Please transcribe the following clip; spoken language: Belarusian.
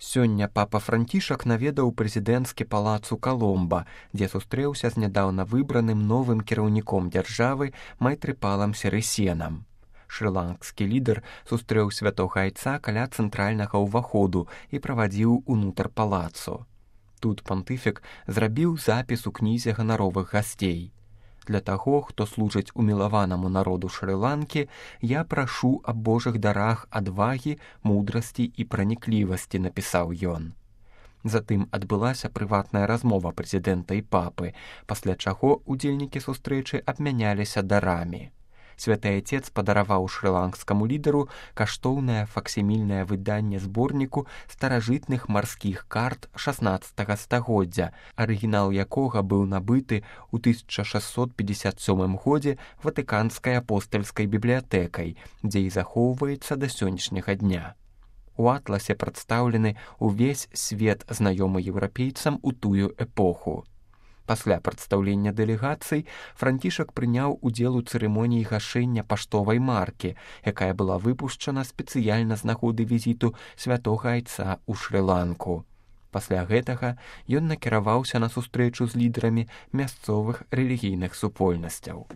Сёння папа Францішак наведаў прэзідэнцкі палац у Каломба, дзе сустрэўся з нядаўна выбраным новым кіраўніком дзяржавы Майтрыпалам Сірысенам. Шры-ланкскі лідар сустрэў святога айца каля цэнтральнага ўваходу і правадзіў унутр палацу. Тут пантыфік зрабіў запіс у кнізе ганаровых гасцей. Для таго, хто служыць умілаванаму народу Шры-ланкі, я прашу аб Божых дарах адвагі, мудрасці і праніклівасці, напісаў ён. Затым адбылася прыватная размова прэзідэнта і папы, пасля чаго удзельнікі сустрэчы абмяняліся дарамі. Святы Айцец падараваў шры-ланкскаму лідару каштоўнае факсімільнае выданне зборніку старажытных марскіх карт 16 стагоддзя, арыгінал якога быў набыты ў 1657 годзе Ватыканскай апостальскай бібліятэкай, дзе і захоўваецца да сённяшняга дня. У атласе прадстаўлены ўвесь свет, знаёмы еўрапейцам у тую эпоху. Пасля прадстаўлення дэлегацый Францішак прыняў удзел у цырымоніі гашэння паштовай маркі, якая была выпушчана спецыяльна з нагоды візіту святога айца ў Шры-ланку. Пасля гэтага ён накіраваўся на сустрэчу з лідарамі мясцовых рэлігійных супольнасцяў.